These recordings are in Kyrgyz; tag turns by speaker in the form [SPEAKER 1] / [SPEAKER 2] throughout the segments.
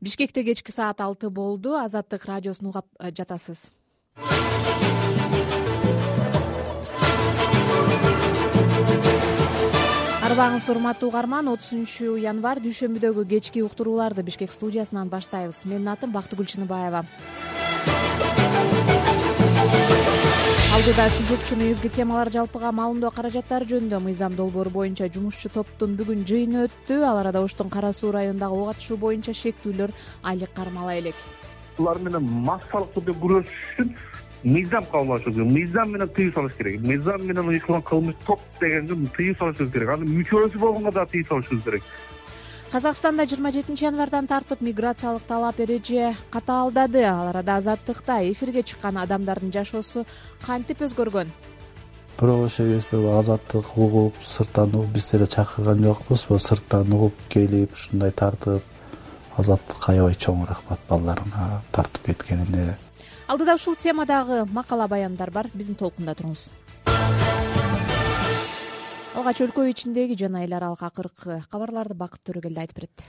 [SPEAKER 1] Бишкекте кечки саат 6 болду. Азаттык радиосун угап жатасыз. Арбаңыз урматтуу угарман, 30 январь дүйшөмбүдөгү кечки уктурууларды Бишкек студиясынан баштайбыз. Менин атым Бактыгүл Чыныбаева. Алдыда сиз укчуну изги темалар жалпыга маалымдоо каражаттары жөнүндө мыйзам долбоору боюнча жумушчу топтун бүгүн жыйыны өттү. Ал арада Оштун Кара Суу районундагы ок атышуу боюнча шектүүлөр айлык кармала элек.
[SPEAKER 2] Булар менен массалык түрдө күрөшүш үчүн мыйзам кабыл керек. Мыйзам менен тыюу салыш керек. Мыйзам менен уюштурулган кылмыш топ дегенге тыюу салышыбыз керек. Анын мүчөсү болгонго да тыюу салышыбыз керек.
[SPEAKER 1] Казакстанда 27-январдан тартып миграциялык талап эреже катаалдады. Ал арада Азаттыкта эфирге чыккан адамдардын жашоосу кантип өзгөргөн?
[SPEAKER 3] Бирок ошол кезде азаттык угуп, сырттан угуп биз деле чакырган жокпуз. Сырттан угуп келип, ушундай тартып Азаттыкка аябай чоң рахмат балдарына тартып кеткенине.
[SPEAKER 1] Алдыда ушул темадагы макала баяндар бар. Биздин толкунда туруңуз. Алгач өлкө ичиндеги жана эл аралык акыркы кабарларды Бакыт Төрөгелди айтып берет.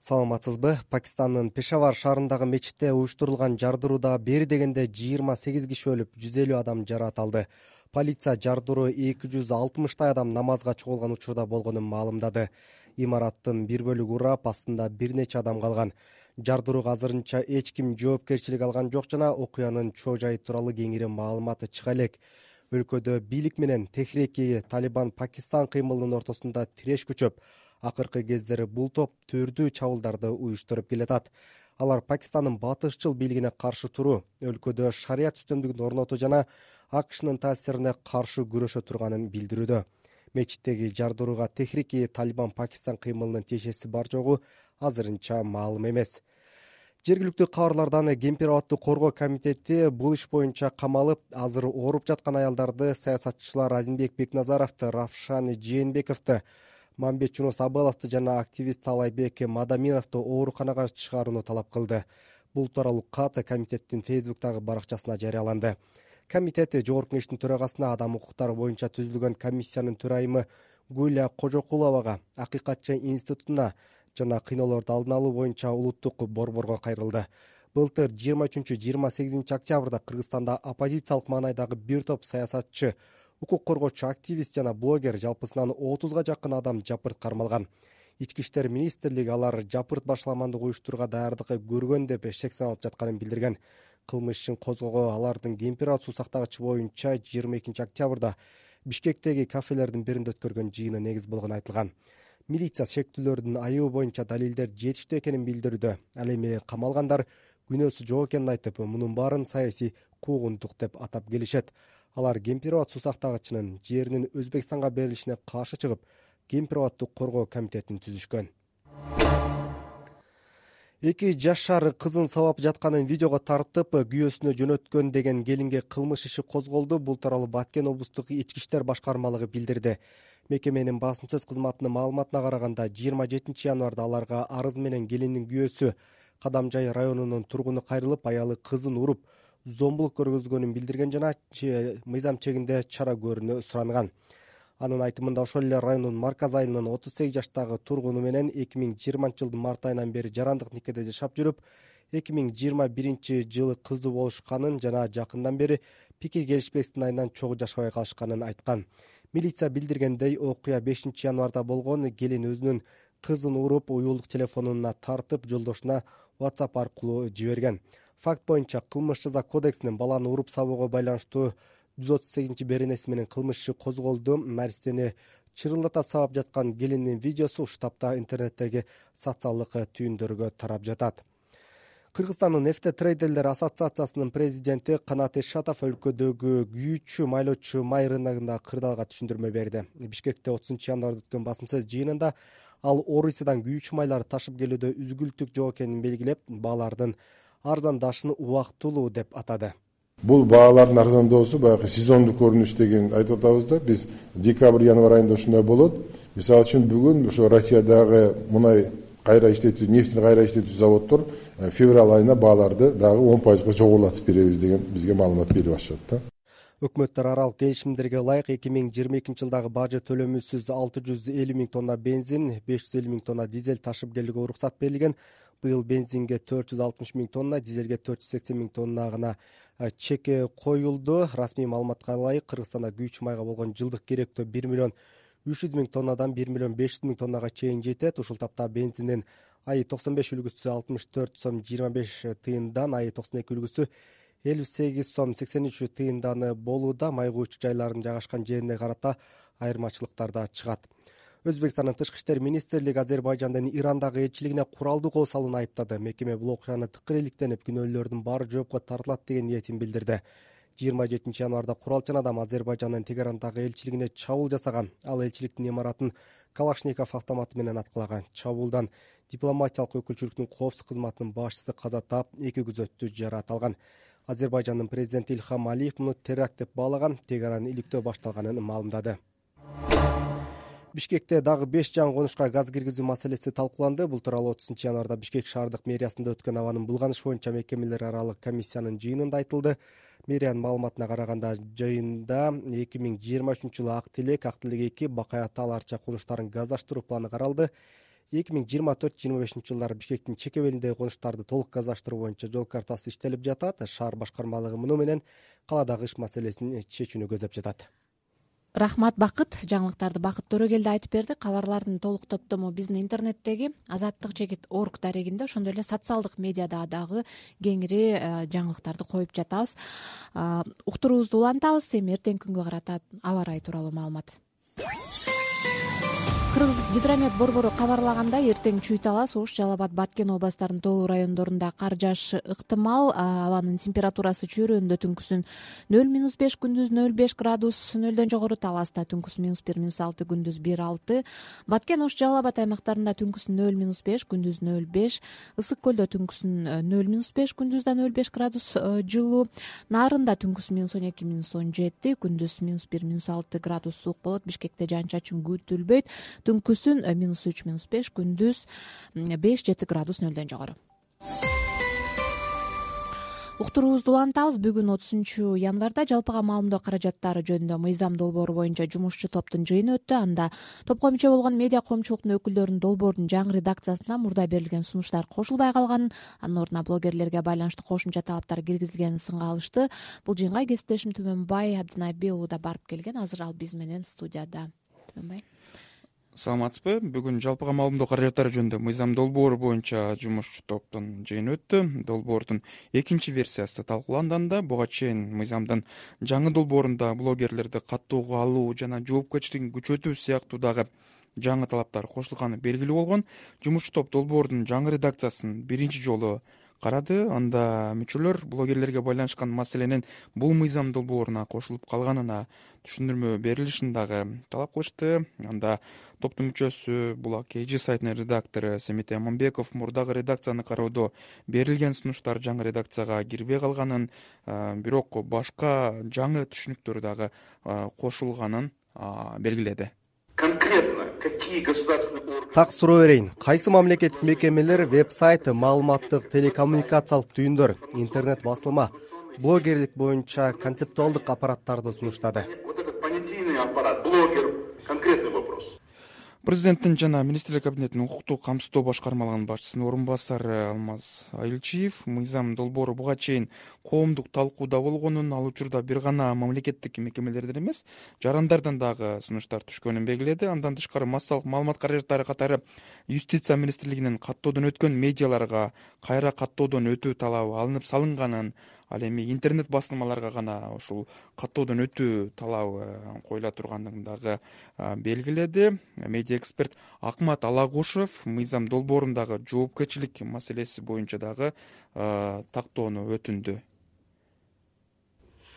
[SPEAKER 4] Саламатсызбы? Пакистандын Пешавар шаарындагы мечитте уюштурулган жардырууда бери дегенде 28 киши өлүп, 150 адам жаракат алды. Полиция жардыруу 260 адам намазга чогулган учурда болгонун маалымдады. Имараттын бир бөлүгү урап, астында бир нече адам калган. Жардырууга азырынча эч ким жоопкерчилик алган жок жана окуянын чоо жайы тууралуу кеңири маалыматы чыга элек. Өлкөдө бийлик менен Техреки Талибан Пакистан кыймылынын ортосунда тиреш күчөп, акыркы кездери бул топ түрдүү чабуулдарды уюштуруп келатат. Алар Пакистандын батышчыл бийлигине каршы туруу, өлкөдө шарият үстөмдүгүн орнотуу жана АКШнын таасирине каршы күрөшө турганын билдирүүдө. Мечиттеги жардырууга Техреки Талибан Пакистан кыймылынын тиешеси бар жогу азырынча маалым эмес. Жергиликтүү кабарлардан Кемпир абадты коргоо комитети бул иш боюнча камалып, азыр ооруп жаткан аялдарды саясатчылар Азимбек Бекназаровду, Равшан Жээнбековду, Мамбет Жунус Абыловду жана активист Талайбек Мадаминовду ооруканага чыгарууну талап кылды. Бул тууралуу кат комитеттин Фейсбуктагы баракчасына жарыяланды. Комитет Жогорку Кеңештин төрагасына адам укуктары боюнча түзүлгөн комиссиянын төрайымы Гүлия Кожокуловага, Акыйкатчы институтуна жана кыйноолорду алдын алуу боюнча улуттук борборго кайрылды. Былтыр 23-28 октябрда Кыргызстанда оппозициялык маанайдагы бир топ саясатчы, укук коргоочу активист жана блогер жалпысынан 30га жакын адам жапырт кармалган. Ички иштер министрлиги алар жапырт башаламандык уюштурууга даярдык көргөн деп шек саналып жатканын билдирген. Кылмыш ишин козгоого алардын Кемпир абад суу сактагычы боюнча 22 октябрда Бишкектеги кафелердин биринде өткөргөн жыйыны негиз болгону айтылган. Милиция шектүүлөрдүн айыбы боюнча далилдер жетиштүү экенин билдирүүдө. Ал эми камалгандар күнөөсү жок экенин айтып, мунун баарын саясий куугунтук деп атап келишет. Алар Кемпир абад суу сактагычынын жеринин Өзбекстанга берилишине каршы чыгып, Кемпир абадты коргоо комитетин түзүшкөн. 2 жашар кызын сабап жатканын видеого тартып, күйөөсүнө жөнөткөн деген келинге кылмыш иши козголду. Бул тууралуу Баткен облустук ички иштер башкармалыгы билдирди. Мекеменин басым сөз кызматынын маалыматына караганда 27-январда аларга арыз менен келиндин күйөөсү Кадамжай районунун тургуну кайрылып, аялы кызын уруп, зомбулук көргөзгөнүн билдирген жана мыйзам чегинде чара көрүүнү суранган. Анын айтымында ошол эле райондун Марказ айылынын 38 жаштагы тургуну менен 2020-жылдын март айынан бери жарандык никеде жашап жүрүп, 2021-жылы кыздуу болушканын жана жакындан бери пикир келишпестиктин айынан чогуу жашабай калышканын айткан. Милиция билдиргендей, окуя 5-январда болгон. Келин өзүнүн кызын уруп, уюлдук телефонуна тартып, жолдошуна WhatsApp аркылуу жиберген. Факт боюнча Кылмыш жаза кодексинин баланы уруп сабоого байланыштуу 138 беренеси менен кылмыш иши козголду. Наристени чырылдата сабап жаткан келиндин видеосу уштапта интернеттеги социалдык түйүндөргө тарап жатат. Кыргызстандын нефте трейдерлер ассоциациясынын президенти Канат Эшатов өлкөдөгү күйүүчү майлоочу май рыногунда кырдаалга түшүндүрмө берди. Бишкекте 30-январда өткөн басым сөз жыйынында ал Орусиядан күйүүчү майларды ташып келүүдө үзгүлтүк жок экенин белгилеп, баалардын арзандашын убактылуу деп атады.
[SPEAKER 5] Бул баалардын арзандоосу баягы сезондук көрүнүш деген айтып атабыз да. Биз декабрь-январь айында ушундай болот. Мисалы үчүн бүгүн ошо Россиядагы мунай кайра иштетүү, нефтини кайра иштетүү заводдор февраль айына бааларды дагы 10% жогорулатып беребиз деген бизге маалымат берип атышат да.
[SPEAKER 4] Өкмөттөр аралык келишимдерге ылайык 2022-жылдагы бажы төлөмүсүз 650 000 тонна бензин, 550 000 тонна дизель ташып келүүгө уруксат берилген. Быйыл бензинге 460 000 тонна, дизелге 480 000 тонна гана чеке коюлду. Расмий маалыматка ылайык Кыргызстанда күйүүчү майга болгон жылдык керектөө 1 миллион 300 000 тоннадан 1 миллион 500 000 тоннага чейин жетет. Ушул тапта бензиндин АИ 95 үлгүсү 64 сом 25 тыйындан, АИ 92 үлгүсү 58 сом 83 тыйындан болууда. Май куючу жайлардын жайгашкан жерине карата айырмачылыктар да чыгат. Өзбекстандын тышкы иштер министрлиги Азербайжандын Ирандагы элчилигине куралдуу кол салууну айыптады. Мекеме бул окуяны тыкыр иликтенип, күнөөлөрдүн баары жоопко тартылат деген ниетин билдирди. 27 январда куралчан адам Азербайжандын Тегерандагы элчилигине чабуул жасаган. Ал элчиликтин имаратын Калашников автоматы менен аткылаган. Чабуулдан дипломатиялык өкүлчүлүктүн коопсуз кызматынын башчысы каза таап, 2 күзөттүү жаракат алган. Азербайжандын президенти Ильхам Алиев муну теракт деп баалаган. Тегеран иликтөө башталганын маалымдады. Бишкекте дагы 5 жаңы конушка газ киргизүү маселеси талкууланды. Бул тууралуу 30 январда Бишкек шаардык мэриясында өткөн абанын булганыш боюнча мекемелер аралык комиссиянын жыйынында айтылды. Мэриянын маалыматына караганда, жыйында 2023 жылы Ак Тилек 2, Бакай Ата Аларча конуштарын газдаштыруу планы каралды. 2024-25 жылдары Бишкектин чек белиндеги конуштарды толук газдаштыруу боюнча жол картасы иштелип жатат. Шаар башкармалыгы муну менен каладагы иш маселесин чечүүнү көздөп жатат.
[SPEAKER 1] Рахмат, Бакыт. Жаңылыктарды Бакыт Төрөгелди айтып берди. Кабарлардын толук топтому биздин интернеттеги azattik.org дарегинде, ошондой эле социалдык медиада дагы кеңири жаңылыктарды коюп жатабыз. Уктуруубузду улантабыз. Эми эртеңки күнгө карата аба ырайы тууралуу маалымат. Кыргыз гидромет борбору кабарлагандай, эртең Чүй Талас, Ош, Жалал Абад, Баткен областарынын тоолуу райондорунда кар жаашы ыктымал. Абанын температурасы чөйрөндө түнкүсүн 0-5, күндүз 0-5 градус, 0дөн жогору. Таласта түнкүсүн -1, -6, күндүз 1-6. Баткен, Ош, Жалал Абад аймактарында түнкүсүн 0-5, күндүз 0-5. Ысык көлдө түнкүсүн 0-5, күндүз да 0-5 градус жылуу. Нарында түнкүсүн -12, -17, күндүз -1, -6 градус суук болот. Бишкекте жаан-чачын күтүлбөйт. Түнкүсүн -3, -5, күндүз 5-7 градус 0дөн жогору. Уктуруубузду улантабыз. Бүгүн 30 январда жалпыга маалымдоо каражаттары жөнүндө мыйзам долбоору боюнча жумушчу топтун жыйыны өттү. Анда топко мүчө болгон медиа коомчулуктун өкүлдөрүнүн долбоордун жаңы редакциясына мурда берилген сунуштар кошулбай калганын, анын ордуна блогерлерге байланыштуу кошумча талаптар киргизилгенин сынга алышты. Бул жыйынга кесиптешим Түмөнбай Абдинайби уулу да барып келген. Азыр ал биз менен студияда. Түмөнбай,
[SPEAKER 6] саламатсызбы? Бүгүн жалпыга маалымдоо каражаттары жөнүндө мыйзам долбоору боюнча жумушчу топтун жыйыны өттү. Долбоордун экинчи версиясы талкууланганда, буга чейин мыйзамдын жаңы долбоорунда блогерлерди каттоого алуу жана жоопкерчилигин күчөтүү сыяктуу дагы жаңы талаптар кошулганы белгилүү болгон. Жумушчу топ долбоордун жаңы редакциясын биринчи жолу карады. Анда мүчөлөр блогерлерге байланышкан маселенин бул мыйзам долбооруна кошулуп калганына түшүндүрмө берилишин дагы талап кылышты. Анда топтун мүчөсү Булак KG сайтынын редактору Семит Аманбеков мурдагы редакцияны кароодо берилген сунуштар жаңы редакцияга кирбей калганын, бирок башка жаңы түшүнүктөр дагы кошулганын белгиледи.
[SPEAKER 7] Конкретно какие государственные органы?
[SPEAKER 4] Так суроо берейин. Кайсы мамлекеттик мекемелер, веб-сайт, маалыматтык телекоммуникациялык түйүндөр, интернет басылма, блогерлик боюнча концептуалдык аппараттарды сунуштады?
[SPEAKER 7] Вот этот понятийный аппарат, блогер, конкретный вопрос.
[SPEAKER 6] Президенттин жана Министрлер кабинетинин укуктук камсыздоо башкармалыгынын башчысынын орун басары Алмаз Айылчиев мыйзам долбоору буга чейин коомдук талкууда болгонун, ал учурда бир гана мамлекеттик мекемелерден эмес, жарандардан дагы сунуштар түшкөнүн белгиледи. Андан тышкары массалык маалымат каражаттары катары Юстиция министрлигинин каттоодон өткөн медиаларга кайра каттоодон өтүү талабы алынып салынганын, ал эми интернет басылмаларга гана ушул каттоодон өтүү талабы коюла тургандыгын дагы белгиледи. Медиа эксперт Акмат Алагушев мыйзам долбоорундагы жоопкерчилик маселеси боюнча дагы тактоону өтүндү.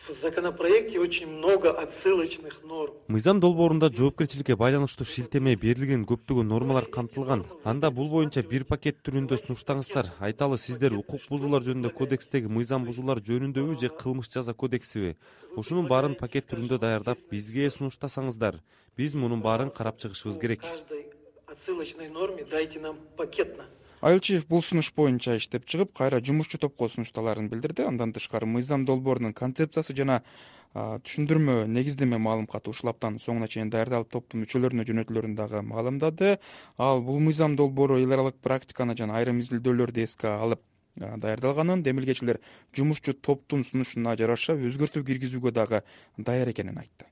[SPEAKER 8] В законопроекте очень много отсылочных норм.
[SPEAKER 9] Мыйзам долбоорунда жоопкерчиликке байланыштуу шилтеме берилген көптөгөн нормалар камтылган. Анда бул боюнча бир пакет түрүндө сунуштаңыздар. Айталы, сиздер укук бузуулар жөнүндө кодекстеги мыйзам бузуулар жөнүндөбү же кылмыш жаза кодексиби? Ушунун баарын пакет түрүндө даярдап бизге сунуштасаңыздар. Биз мунун баарын карап чыгышыбыз керек.
[SPEAKER 8] Каждой отсылочной норме дайте нам пакетно.
[SPEAKER 6] Айылчиев бул сунуш боюнча иштеп чыгып, кайра жумушчу топко сунушталарын билдирди. Андан тышкары мыйзам долбоорунун концепциясы жана түшүндүрмө негиздеме маалым каты ушул аптанын соңуна чейин даярдалып топтун мүчөлөрүнө жөнөтүлөрүн дагы маалымдады. Ал бул мыйзам долбоору эл аралык практиканы жана айрым изилдөөлөрдү эске алып даярдалганын, демилгечилер жумушчу топтун сунушуна жараша өзгөртүү киргизүүгө дагы даяр экенин айтты.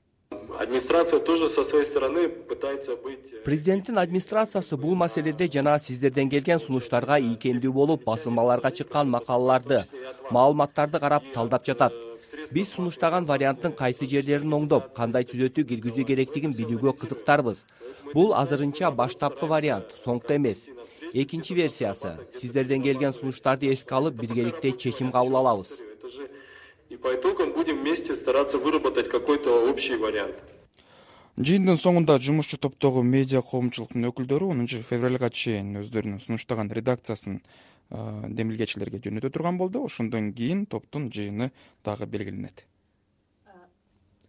[SPEAKER 8] Администрация тоже со своей стороны пытается быть...
[SPEAKER 10] Президенттин администрациясы бул маселеде жана сиздерден келген сунуштарга ийкемдүү болуп, басылмаларга чыккан макалаларды, маалыматтарды карап талдап жатат. Биз сунуштаган варианттын кайсы жерлерин оңдоп, кандай түзөтүү киргизүү керектигин билүүгө кызыктарбыз. Бул азырынча баштапкы вариант, соңку эмес. Экинчи версиясы. Сиздерден келген сунуштарды эске алып, биргеликте чечим кабыл алабыз.
[SPEAKER 8] И по итогам будем вместе стараться выработать какой-то общий вариант.
[SPEAKER 6] Жыйындын соңунда жумушчу топтогу медиа коомчулуктун өкүлдөрү 10 февралга чейин өздөрүнүн сунуштаган редакциясын демилгечилерге жөнөтө турган болду. Ошондон кийин топтун жыйыны дагы белгиленет.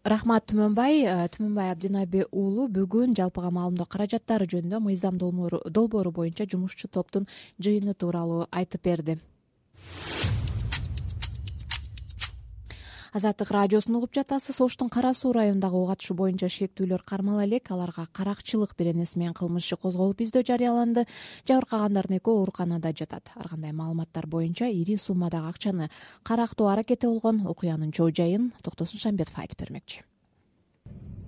[SPEAKER 1] Рахмат Түмөнбай Абдинаби уулу бүгүн жалпыга маалымдоо каражаттары жөнүндө мыйзам долбоору боюнча жумушчу топтун жыйыны тууралуу айтып берди. Азаттык радиосун угуп жатасыз. Оштун Кара Суу районундагы ок атышы боюнча шектүүлөр кармала элек. Аларга каракчылык беренеси менен кылмыш иши козголуп издөө жарыяланды. Жабыркагандардын экөө ооруканада жатат. Ар кандай маалыматтар боюнча ири суммадагы акчаны карактоо аракети болгон. Окуянын чоо жайын Токтосун Шамбетов айтып бермекчи.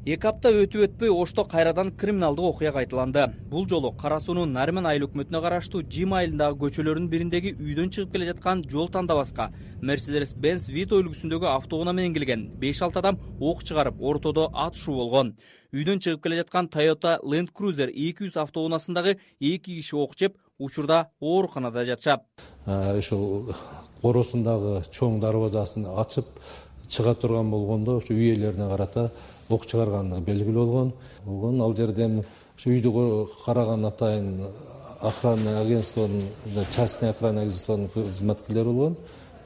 [SPEAKER 11] 2 апта өтүп Ошто кайрадан криминалдык окуя кайталанды. Бул жолу Кара Суунун Нармен айыл өкмөтүнө караштуу Жим айылындагы көчөлөрдүн бириндеги үйдөн чыгып келе жаткан жол тандабаска Mercedes-Benz Vito үлгүсүндөгү автоунаа менен келген 5-6 адам ок чыгарып, ортодо атышуу болгон. Үйдөн чыгып келе жаткан Toyota Land Cruiser 200 автоунаасындагы 2 киши ок жеп, учурда ооруканада жатышат.
[SPEAKER 12] Ошол коросундагы чоң дарбазасын ачып чыга турган болгондо ошо үй ээлерине карата ок чыгаргандыгы белгилүү болгон. Ал жерден ошо үйдү караган атайын охранный агентствонун, частный охранный агентствонун кызматкерлери болгон.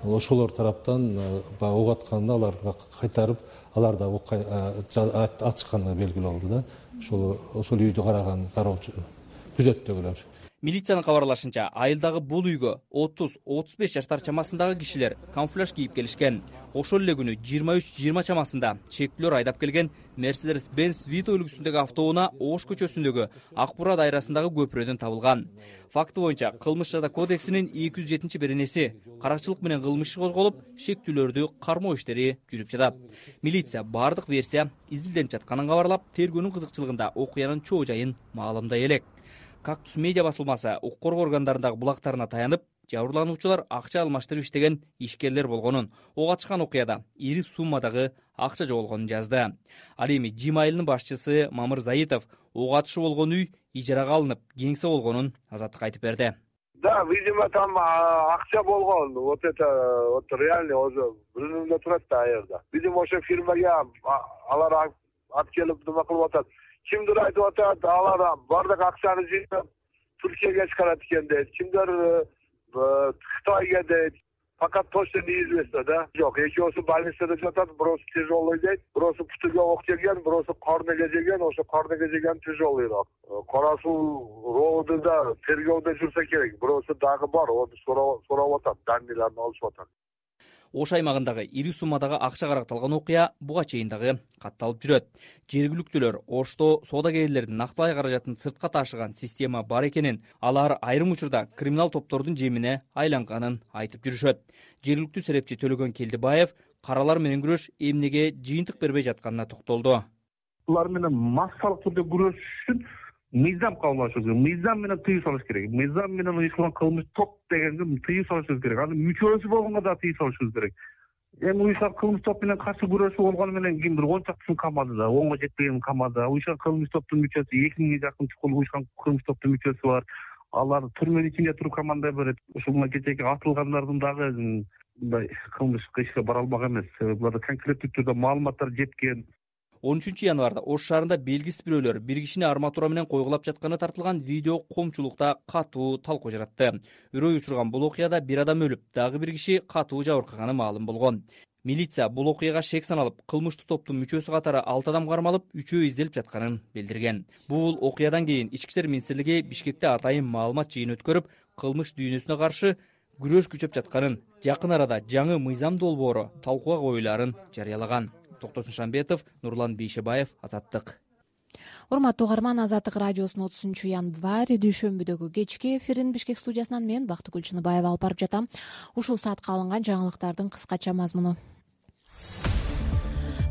[SPEAKER 12] Ошолор тараптан ок атканда аларды кайтарып, аларда ок атышкандыгы белгилүү болду да. Ошол үйдү караган кароочу күзөттөгүлөр.
[SPEAKER 11] Милициянын кабарлашынча, айылдагы бул үйгө 30-35 жаштар чамасындагы кишилер камуфляж кийип келишкен. Ошол эле күнү 23-20 чамасында шектүүлөр айдап келген Mercedes-Benz Vito үлгүсүндөгү автоунаа Ош көчөсүндөгү Акбура дайрасындагы көпүрөдөн табылган. Факты боюнча Кылмыш жада кодексинин 207-беренеси каракчылык менен кылмыш иши козголуп, шектүүлөрдү кармоо иштери жүрүп жатат. Милиция бардык версия изилденип жатканын кабарлап, тергөөнүн кызыкчылыгында окуянын чоо жайын маалымдай элек. Кактус медиа басылмасы укук коргоо органдарындагы булактарына таянып, жабырлануучулар акча алмаштырып иштеген ишкерлер болгонун, ок атышкан окуяда ири суммадагы акча жоголгонун жазды. Ал эми Жим айылынын башчысы Мамыр Заитов ок атышы болгон үй ижарага алынып, кеңсе болгонун Азаттыкка айтып берди.
[SPEAKER 13] Да, видимо, там акча болгон. Вот реально уже билинбей турат да аерда. Видимо, ошо фирмага алар алып келип нема кылып атат. Кимдир айтып атат, алар бардык акчаны жыйнап Түркияга чыгарат экен дейт. Кимдир Кытайга дейт. Пока точно неизвестно, да? Жок, экөөсү больницада жатат, бирөөсү тяжелый дейт, бирөөсү путуга ок жеген, бирөөсү карнеге жеген, ошо карнеге жеген тяжелыйраак. Кара Суу роодунда тергөөдө жүрсө керек. Бирөөсү дагы бар, onu сурап атат, данныйларын алышып атат.
[SPEAKER 11] Ош аймагындагы ири суммадагы акча каракталган окуя буга чейин дагы катталып жүрөт. Жергиликтүүлөр Ошто соодагерлердин нактылай каражатын сыртка ташыган система бар экенин, алар айрым учурда криминал топтордун жемине айланганын айтып жүрүшөт. Жергиликтүү серепчи Төлөгөн Келдибаев каралар менен күрөш эмнеге жыйынтык бербей жатканына токтолду.
[SPEAKER 2] Булар менен массалык түрдө күрөш үчүн мыйзам кабылдашыбыз керек. Мыйзам менен тыюу салыш керек. Мыйзам менен уюштурулган кылмыш топ дегенге тыюу салышыбыз керек. Анын мүчөсү болгонго да тыюу салышыбыз керек. Эми уюштурулган кылмыш топ менен каршы күрөшүү болгону менен кимдир 10 чактысын камады да, 10го жетпеген камады. Уюштурулган кылмыш топтун мүчөсү 2000ге жакын чукул уюштурулган кылмыш топтун мүчөсү бар. Алар түрмөнүн ичинде туруп команда берет. Ошол кечээки атылгандардын дагы мындай кылмыш ишке бара албаган эмес. Буларда конкреттүү түрдө маалыматтар жеткен.
[SPEAKER 11] 13 январда Ош шаарында белгисиз бирөөлөр бир кишини арматура менен койгулап жатканы тартылган видео коомчулукта катуу талкуу жаратты. Үрөй учурган бул окуяда бир адам өлүп, дагы бир киши катуу жабыркаганы маалым болгон. Милиция бул окуяга шек саналып, кылмыштуу топтун мүчөсү катары 6 адам кармалып, 3-өө изделип жатканын билдирген. Бул окуядан кийин Ички иштер министрлиги Бишкекте атайын маалымат жыйыны өткөрүп, кылмыш дүйнөсүнө каршы күрөш күчөп жатканын, жакын арада жаңы мыйзам долбоору талкууга коюлаарын жарыялаган. Токтосун Шамбетов, Нурлан Бейшебаев, Азаттык.
[SPEAKER 1] Урматтуу угарман, Азаттык радиосунун 30-январь дүйшөмбүдөгү кечки эфирин Бишкек студиясынан мен Бактыгүл Чыныбаева алып барып жатам. Ушул саатка алынган жаңылыктардын кыскача мазмуну.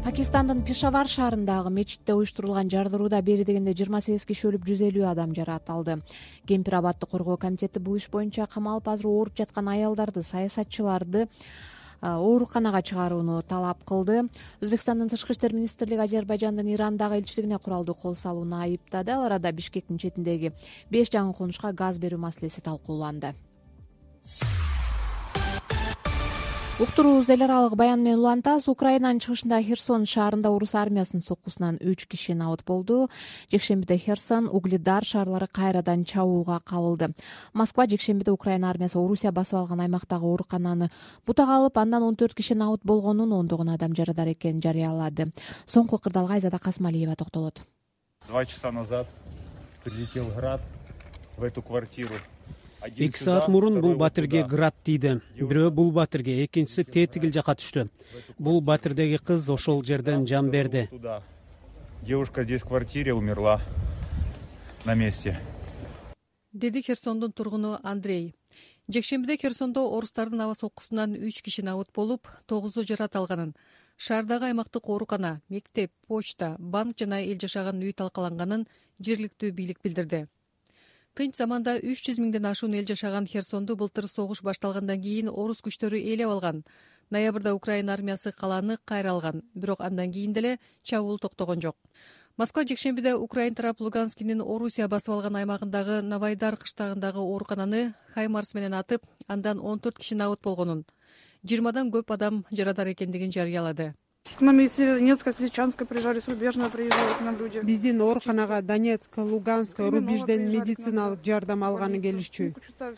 [SPEAKER 1] Пакистандын Пешавар шаарындагы мечитте уюштурулган жардырууда бери дегенде 28 киши өлүп, 150 адам жаракат алды. Кемпир абадды коргоо комитети бул иш боюнча камалып азыр ооруп жаткан аялдарды, саясатчыларды ооруканага чыгарууну талап кылды. Өзбекстандын тышкы иштер министрлиги Азербайжандын Ирандагы элчилигине куралдуу кол салууну айыптады. Ал арада Бишкектин четиндеги 5 жаңы конушка газ берүү маселеси талкууланды. Уктуруубузду эл аралык баян менен улантабыз. Украинанын чыгышындагы Херсон шаарында орус армиясынын соккусунан 3 киши набыт болду. Жекшембиде Херсон, Угледар шаарлары кайрадан чабуулга кабылды. Москва жекшембиде Украина армиясы Орусия басып алган аймактагы оорукананы бутага алып, андан 14 киши набыт болгонун, ондогон адам жарадар экенин жарыялады. Соңку кырдаалга Айзада Касмалиева токтолот.
[SPEAKER 14] 2 часа назад прилетел град в эту квартиру.
[SPEAKER 15] 2 саат мурун бул батирге град тийди. Бирөө бул батирге, экинчиси тетигил жака түштү. Бул батирдеги кыз ошол жерден жан берди.
[SPEAKER 14] Девушка здесь в квартире умерла на месте.
[SPEAKER 16] Деди Херсондун тургуну Андрей. Жекшембиде Херсондо орустардын аба соккусунан 3 киши набыт болуп, 9 жаракат алганын, шаардагы аймактык оорукана, мектеп, почта, банк жана эл жашаган үй талкаланганын жергиликтүү бийлик билдирди. Тынч заманда 300 миңден ашуун эл жашаган Херсонду былтыр согуш башталгандан кийин орус күчтөрү ээлеп алган. Ноябрда Украина армиясы калааны кайра алган, бирок андан кийин деле чабуул токтогон жок. Москва жекшембиде Украин тарап Луганскинин Орусия басып алган аймагындагы Новайдар кыштагындагы оорукананы Хаймарс менен атып, андан 14 киши набыт болгонун, 20дан көп адам жарадар экендигин жарыялады.
[SPEAKER 17] К нам из Донецка, с Лисичанска приезжали, с Рубежного приезжают к нам люди.
[SPEAKER 18] Биздин ооруканага Донецк, Луганск, Рубежден медициналык жардам алганы келишчү.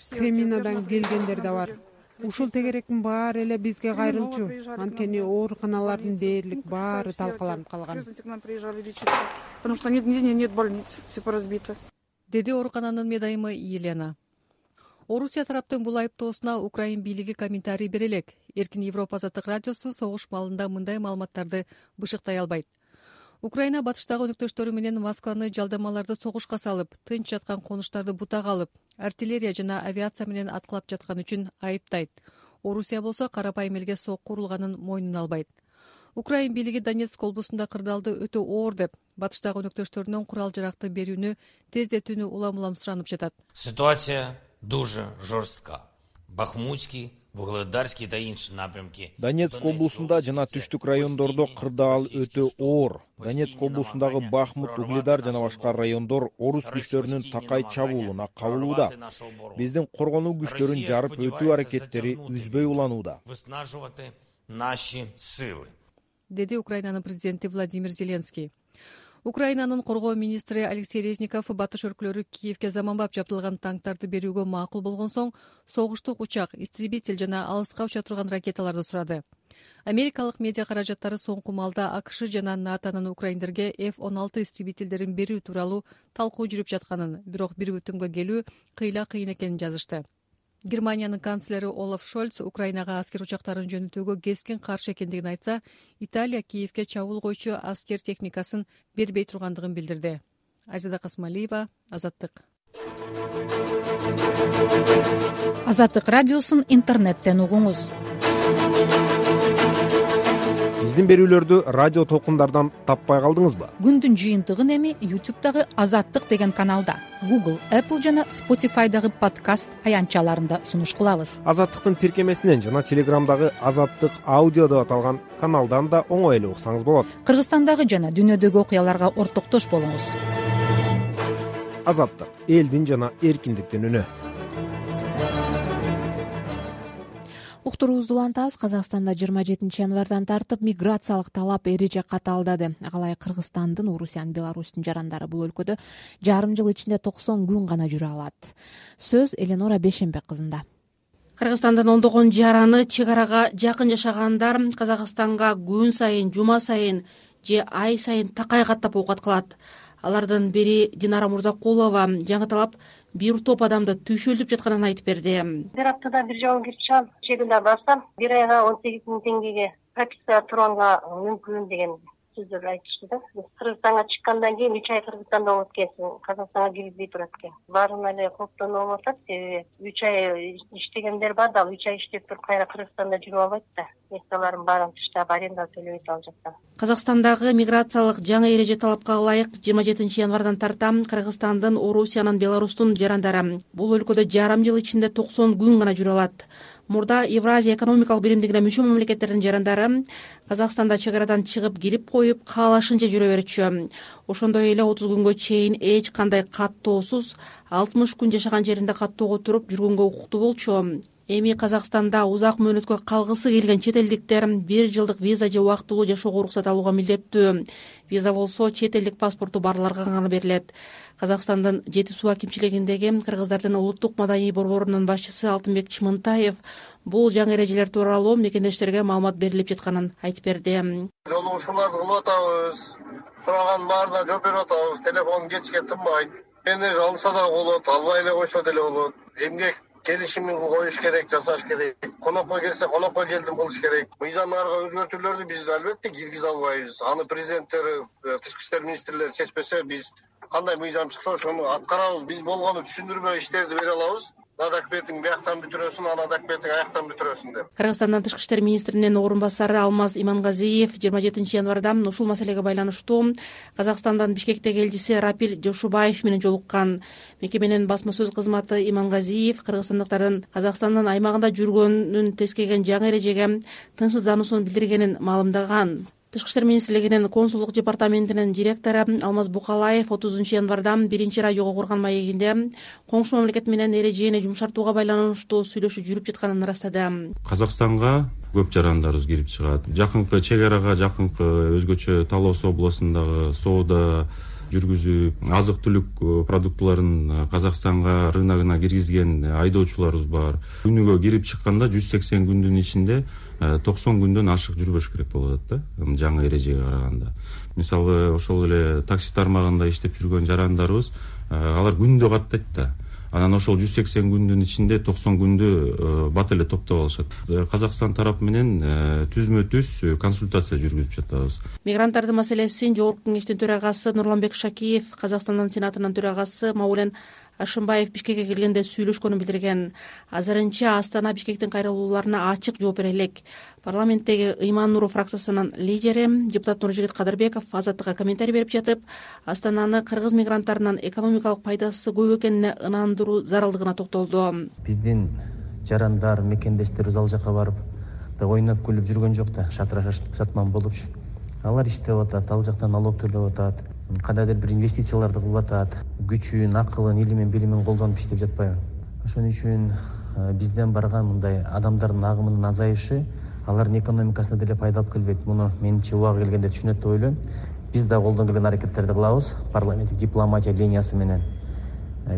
[SPEAKER 18] Креминадан келгендер да бар. Ушул тегеректин баары эле бизге кайрылчу. Анткени ооруканалардын дээрлик баары талкаланып калган.
[SPEAKER 17] К нам приезжали лечиться, потому что нет больниц, все поразбито.
[SPEAKER 16] Деди оорукананын медайымы Елена. Орусия тараптын бул айыптоосуна Украин бийлиги комментарий бере элек. Эркин Европа Азаттык радиосу согуш маалында мындай маалыматтарды бышыктай албайт. Украина батыштагы өнөктөштөрү менен Москваны жалдамаларды согушка салып, тынч жаткан конуштарды бутага алып, артиллерия жана авиация менен аткылап жаткан үчүн айыптайт. Орусия болсо карапайым элге сокку урулганын мойнуна албайт. Украин бийлиги Донецк облусунда кырдаалды өтө оор деп, батыштагы өнөктөштөрүнөн курал жаракты берүүнү тездетүүнү улам суранып жатат.
[SPEAKER 19] Ситуация дуже жорстка. Бахмутский, Вугледарский да інші напрямки.
[SPEAKER 20] Донецк облусунда жана түштүк райондордо кырдаал өтө оор. Донецк облусундагы Бахмут, Угледар жана башка райондор орус күчтөрүнүн такай чабуулуна кабылууда. Биздин коргонуу күчтөрүн жарып өтүү аракеттери үзбөй уланууда.
[SPEAKER 19] Выснаживать наши силы.
[SPEAKER 16] Деди Украинанын президенти Владимир Зеленский. Украинанын коргоо министри Алексей Резников батыш өлкөлөрү Киевке заманбап жабдылган танктарды берүүгө макул болгон соң согуштук учак, истребитель жана алыска уча турган ракеталарды сурады. Америкалык медиа каражаттары соңку маалда АКШ жана НАТОнун украиндерге F-16 истребительдерин берүү тууралуу талкуу жүрүп жатканын, бирок бир бүтүмгө келүү кыйын экенин жазышты. Германиянын канцлери Олаф Шольц Украинага аскер учактарын жөнөтүүгө кескин каршы экендигин айтса, Италия Киевке чабуул койчу аскер техникасын бербей тургандыгын билдирди. Айзада Касмалиева, Азаттык.
[SPEAKER 21] Азаттык радиосун интернеттен угуңуз.
[SPEAKER 20] Биздин берүүлөрдү радио толкундардан таппай калдыңызбы?
[SPEAKER 21] Күндүн жыйынтыгын эми YouTube'дагы Азаттык деген каналда, Google, Apple жана Spotify'дагы подкаст аянтчаларында сунуш кылабыз.
[SPEAKER 20] Азаттыктын тиркемесинен жана Телеграмдагы Азаттык аудио деп аталган каналдан да оңой эле уксаңыз болот.
[SPEAKER 21] Кыргызстандагы жана дүйнөдөгү окуяларга ортоктош болуңуз.
[SPEAKER 20] Азаттык — элдин жана эркиндиктин үнү.
[SPEAKER 1] Уктуруубузду улантабыз. Казакстанда 27 январдан тартып миграциялык талап эреже каталдады. Калай Кыргызстандын, Орусиянын, Беларустун жарандары бул өлкөдө жарым жыл ичинде 90 күн гана жүрө алат. Сөз Эленора Бешенбек кызында.
[SPEAKER 22] Кыргызстандын ондогон жараны чек арага жакын жашагандар Казакстанга күн сайын, жума сайын же ай сайын такай каттап оокат кылат. Алардын бири Динара Мурзакулова. Жаңы талап бир топ адамды түйшөлдөп жатканын айтып берди.
[SPEAKER 3] Бир аптада бир жолу кирип чыгам. Чегинде барсам, бир айга 18 000 теңгеге прописка турганга мүмкүн деген сөздөр айтышты да. Кыргызстанга чыккандан кийин 3 ай Кыргызстанда болот экенсиң, Казакстанга киргизбей турат экен. Баарына эле коптонуп атат, себеби 3 ай иштегендер бар да, 3 ай иштеп туруп кайра Кыргызстанда жүрүп албайт да. Нерселерин баарын таштап аренда төлөбөйт ал жактан.
[SPEAKER 22] Казакстандагы миграциялык жаңы эреже талапка ылайык 27 январдан тарта Кыргызстандын, Орусиянын, Беларустун жарандары бул өлкөдө жарым жыл ичинде 90 күн гана жүрө алат. Мурда Евразия экономикалык биримдигине мүчө мамлекеттердин жарандары Казакстанда чек арадан чыгып кирип коюп каалашынча жүрө берчү. Ошондой эле 30 күнгө чейин эч кандай каттоосуз 60 күн жашаган жеринде каттоого туруп жүргөнгө укуктуу болчу. Эми Казакстанда узак мөөнөткө калгысы келген чет элдиктер 1 жылдык виза же убактылуу жашоого уруксат алууга милдеттүү. Виза болсо чет элдик паспорту барларга гана берилет. Казакстандын Жети суу акимчилигиндеги кыргыздардын улуттук маданий борборунун башчысы Алтынбек Чымынтаев бул жаңы эрежелер тууралуу мекендештерге маалымат берилип жатканын айтып берди.
[SPEAKER 5] Жолугушууларды кылып атабыз, сураганын баарына жооп берип атабыз, телефон кечке тынбайт. Мени алса да болот, албай эле койсо деле болот. Эмгек келишимин коюш керек, жасаш керек. Конокко келсе, конокко келдим кылыш керек. Мыйзамдарга өзгөртүүлөрдү биз албетте киргизе албайбыз. Аны президенттер, тышкы иштер министрлери чечпесе, биз кандай мыйзам чыкса ошону аткарабыз. Биз болгону түшүндүрмө иштерди бере алабыз. Надак бетиң бияктан бүтүрөсүн, анадак бетиң аяктан бүтүрөсүн деп.
[SPEAKER 22] Кыргызстандын тышкы иштер министринин орун басары Алмаз Имангазиев 27 январда ушул маселеге байланыштуу Казакстандын Бишкектеги элчиси Рапил Жошубаев менен жолуккан. Мекеменин басма сөз кызматы Имангазиев кыргызстандыктардын Казакстандын аймагында жүргөнүн тескеген жаңы эрежеге тынчсыздануусун билдиргенин маалымдаган. Тышкы иштер министрлигинин консулдук департаментинин директору Алмаз Букалаев 30 январда 1-радиого курган маегинде коңшу мамлекет менен эрежени жумшартууга байланыштуу сүйлөшүү жүрүп жатканын ырастады.
[SPEAKER 23] Казакстанга көп жарандарыбыз кирип чыгат. Жакынкы чек арага жакынкы өзгөчө Талоос областындагы соода жүргүзүп, азык түлүк продуктуларын Казакстанга рыногуна киргизген айдоочуларыбыз бар. Күнүгө кирип чыкканда 180 күндүн ичинде 90 күндөн ашык жүрбөш керек болот да, жаңы эрежеге караганда. Мисалы, ошол эле такси тармагында иштеп жүргөн жарандарыбыз, алар күндө каттайт да. Анан ошол 180 күндүн ичинде 90 күндү бат эле топтоп алышат. Казакстан тарап менен түзмө-түз консультация жүргүзүп жатабыз.
[SPEAKER 22] Мигранттардын маселесин Жогорку кеңештин төрагасы Нурланбек Шакиев, Казакстандын сенатынын төрагасы Маулен Ашымбаев Бишкекке келгенде сүйлөшкөнүн билдирген. Азырынча Астана Бишкектин кайрылууларына ачык жооп бере элек. Парламенттеги Ыйман Нуров фракциясынын лидери депутат Нуржигит Кадырбеков Азаттыкка комментарий берип жатып, Астананы кыргыз мигранттарынын экономикалык пайдасы көп экенине ынандыруу зарылдыгына токтолду.
[SPEAKER 24] Биздин жарандар, мекендештерибиз ал жака барып ойноп күлүп жүргөн жок да, шатыраш сатман болупчу. Алар иштеп атат, ал жактан налог төлөп атат, кандайдыр бир инвестицияларды кылып атат, күчүн, акылын, илимин, билимин колдонуп иштеп жатпайбы. Ошон үчүн бизден барган мындай адамдардын агымынын азайышы алардын экономикасына деле пайда алып келбейт. Муну менимче убагы келгенде түшүнөт деп ойлойм. Биз да колдон келген аракеттерди кылабыз парламенттик дипломатия линиясы менен.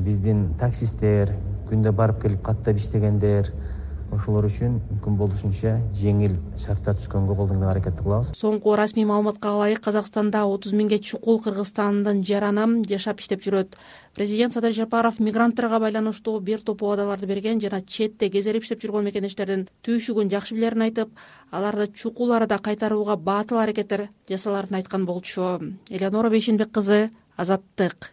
[SPEAKER 24] Биздин таксисттер, күндө барып келип каттап иштегендер, ошолор үчүн мүмкүн болушунча жеңил шарттар түшкөнгө колдон келген аракетти кылабыз.
[SPEAKER 22] Соңку расмий маалыматка ылайык Казакстанда 30 миңге чукул Кыргызстандын жараны жашап иштеп жүрөт. Президент Садыр Жапаров мигранттарга байланыштуу бир топ убадаларды берген жана четте кезерип иштеп жүргөн мекендештердин түйшүгүн жакшы билерин айтып, аларды чукул арада кайтарууга баатыл аракеттер жасаларын айткан болчу. Элеонора Бейшенбек кызы, Азаттык.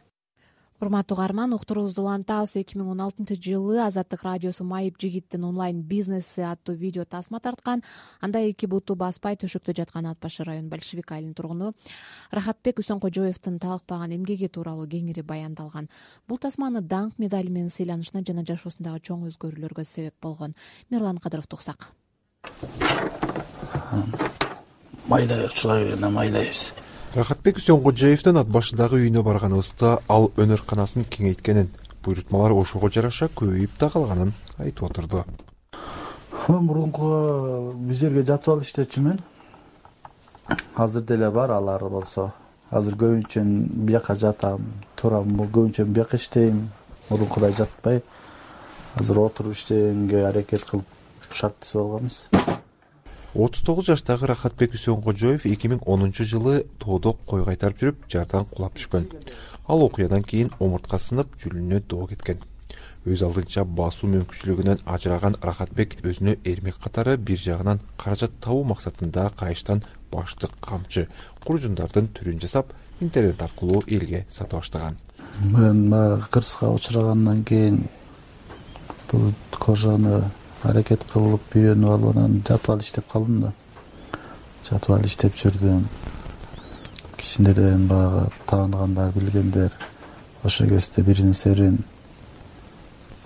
[SPEAKER 1] Урматтуу угарман, уктуруубузду улантабыз. 2016-жылы Азаттык радиосу Майып жигиттин онлайн бизнеси аттуу видео тасма тарткан. Анда эки буту баспай төшөктө жаткан Ат башы район Большевик айылынын тургуну Рахатбек Үсөнкожоевдин талыкпаган эмгеги тууралуу кеңири баяндалган. Бул тасманы даңк медали менен сыйланышына жана жашоосундагы чоң өзгөрүүлөргө себеп болгон. Мирлан Кадыровду уксак.
[SPEAKER 25] Майлайчылар менен майлайбыз.
[SPEAKER 26] Рахатбек Үсөнкожоевдин Ат башындагы үйүнө барганыбызда ал өнөр-канасын кеңейткенин, буйрутмалар ошого жараша көбөйүп да калганын айтып отурду.
[SPEAKER 25] Мурунку биз жерге жатып алып иштечүмүн. Азыр деле бар, алар болсо. Азыр көбүнчө бияка жатам, турам, көбүнчө бияка иштейм. Мурункудай жатпай. Азыр отуруп иштегенге аракет кылып шарттуу болгонбуз.
[SPEAKER 26] 39 жаштагы Рахатбек Үсөнкожоев 2010 жылы тоодо кой кайтарып жүрүп, жардан кулап түшкөн. ал окуядан кийин омуртка сынып, жүлүнүнө доо кеткен. Өз алдынча басуу мүмкүнчүлүгүнөн ажыраган Рахатбек өзүнө эрмек катары бир жагынан каражат табуу максатында кайыштан баштык, камчы, куржундардын түрүн жасап, интернет аркылуу элге сата баштаган.
[SPEAKER 25] Мен кырсыкка учурагандан кийин бул кожаны аракет кылып үйрөнүп алып, анан жатып алып иштеп калдым да. Жатып алып иштеп жүрдүм. Кичинерден баягы тааныгандар, билгендер ошо кезде бирин-серин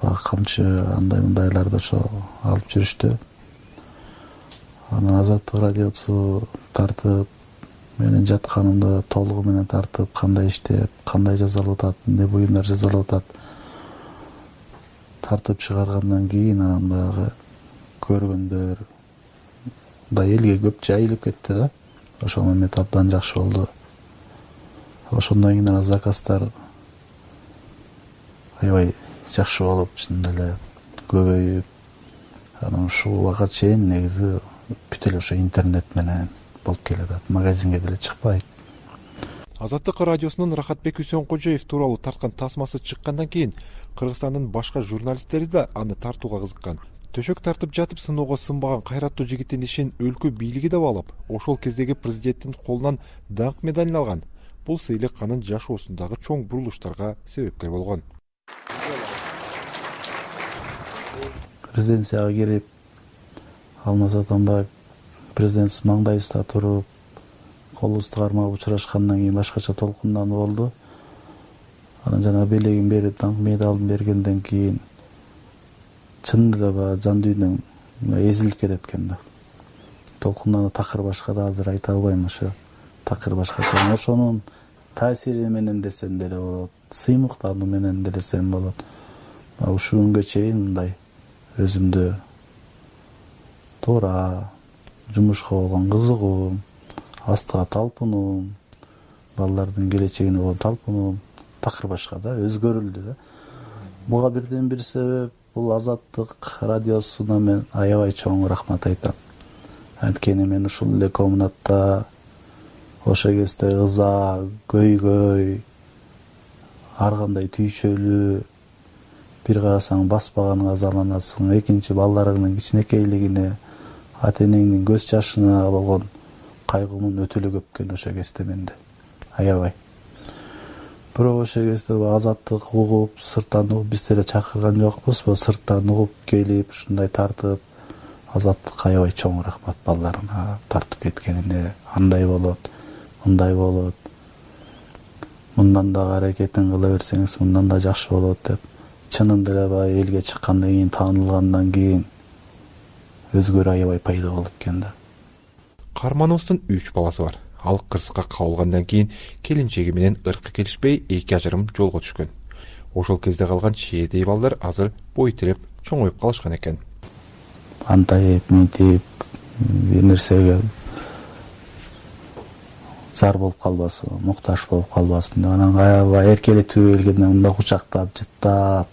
[SPEAKER 25] камчы андай-мындайларды ошо алып жүрүштү. Анан Азаттык радиосу тартып, менин жатканымды толугу менен тартып, кандай иштеп, кандай жазалып атат, эмне буюмдар жазалып атат тартып чыгаргандан кийин анан баягы көргөндөр да элге көп жайылып кетти да. Ошол момент абдан жакшы болду. Ошондон кийин анан заказдар аябай жакшы болуп, чын эле көбөйүп, анан ушул убакка чейин негизи бүт эле ошо интернет менен болуп келатат. Магазинге деле чыкпайт.
[SPEAKER 26] Азаттык радиосунун Рахатбек Үсөнкожоев тууралуу тарткан тасмасы чыккандан кийин Кыргызстандын башка журналисттери да аны тартууга кызыккан. Төшөк тартып жатып сыноого сынбаган кайраттуу жигиттин ишин өлкө бийлиги да баалап, ошол кездеги президенттин колунан даңк медалин алган. Бул сыйлык анын жашоосундагы чоң бурулуштарга себепкер болгон.
[SPEAKER 25] Резиденцияга кирип, Алмаз Атамбаев президент маңдайыбызда туруп, колубузду кармап учурашкандан кийин башкача толкундануу болду. Анан жана белегин берип, даңк медалын бергенден кийин чын эле баягы жан дүйнөң эзилип кетет экен да. Толкундануу такыр башка да азыр айта албайм, ошо такыр башкача. Ошонун таасири менен десем деле болот, сыймыктануу менен десем болот. Ушул күнгө чейин мындай өзүмдү туура жумушка болгон кызыгуум, астыга талпынуум, балдардын келечегине болгон талпынуум такыр башка да, өзгөрүлдү да. Буга бирден бир себеп бул Азаттык радиосуна мен аябай чоң рахмат айтам. Анткени мен ушул эле комнатта ошо кезде ыза, көйгөй, ар кандай түйшөлүү, бир карасаң баспаганыңа азаланасың, экинчи балдарыңдын кичинекейлигине, ата-энеңдин көз жашына болгон кайгуумун өтө эле көп экен ошо кезде менде. Аябай. Бирок ошо кезде Азаттык угуп, сырттан угуп, биз деле чакырган жокпузбу, сырттан угуп келип, ушундай тартып, Азаттык аябай чоң рахмат балдарына тартып кеткенине, андай болот, мындай болот. Мындан да аракетин кыла берсеңиз, мындан да жакшы болот деп. Чынында эле баягы элге чыккандан кийин, таанылгандан кийин өзгөрүү аябай пайда болот экен да.
[SPEAKER 26] Кармановдун 3 баласы бар. Ал кырсыкка кабылгандан кийин келинчеги менен ыркы келишпей, эки ажырым жолго түшкөн. Ошол кезде калган чиедей балдар азыр бой тиреп чоңоюп калышкан экен.
[SPEAKER 25] Антайып, мынтип, бир нерсеге зар болуп калбасын, муктаж болуп калбасын. Анан аябай эркелетүү келгенде мындай кучактап, жыттап,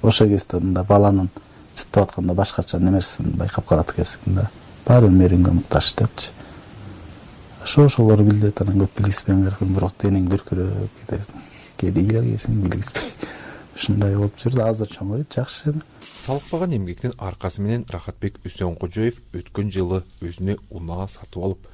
[SPEAKER 25] ошол кезде мындай баланын жыттап атканда башкача немерсин байкап калат экенсиң да. Баары мээримге муктаж депчи. Ошолор билет, анан көп билгиспеген керек, бирок денең дүркүрөп кетет. Кээде ийгилегесиң билгиспей. Ушундай болуп жүрдү, азыр чоңоюп жакшы.
[SPEAKER 26] Талыкпаган эмгектин аркасы менен Рахатбек Үсөнкожоев өткөн жылы өзүнө унаа сатып алып,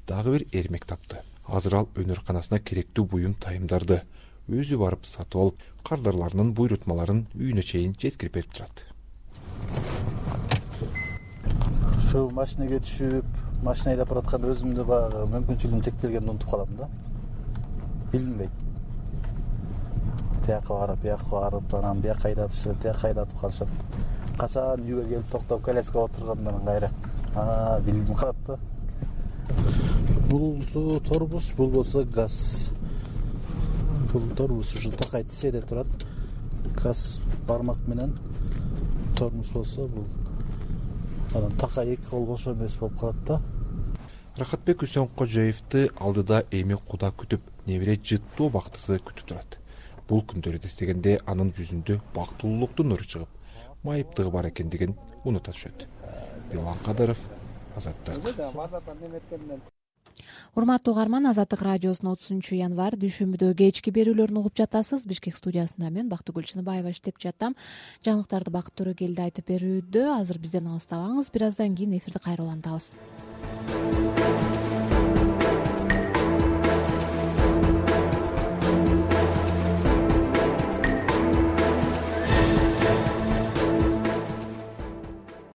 [SPEAKER 26] дагы бир эрмек тапты. Азыр ал өнөрканасына керектүү буюм тайымдарды өзү барып сатып алып, кардарларынын буйрутмаларын үйүнө чейин жеткирип берип турат.
[SPEAKER 25] Ушу машинеге түшүп, машина айдап баратканда өзүмдү баягы мүмкүнчүлүгүм чектелгенди унутуп калам да. Билинбейт. Тияка барып, анан бияка айдатышып, тияка айдатып калышат. Качан үйгө келип токтоп, коляскага отургандан кайра билип калат да. Бул торбус, бул болсо газ. Бул торбус ушу такай тиседе турат. Газ бармак менен, тормуз болсо бул анан такай эки кол бошо эмес болуп калат да.
[SPEAKER 26] Рахатбек Үсөнкожоевди алдыда эми Куда күтүп, небере жыттуу бактысы күтүп турат. Бул күндөрдү эстегенде анын жүзүндө бактылуулуктун нуру чыгып, майыптыгы бар экендигин унута түшөт. Билан Кадыров, Азаттык.
[SPEAKER 1] урматтуу угарман, Азаттык радиосунун 30 январь дүйшөмбүдө кечки берүүлөрүн угуп жатасыз. Бишкек студиясында мен Бактыгүл Чыныбаева иштеп жатам. Жаңылыктарды Бакыт Төрөкелди айтып берүүдө. Азыр бизден алыстабаңыз. Бир аздан кийин эфирди кайра улантабыз.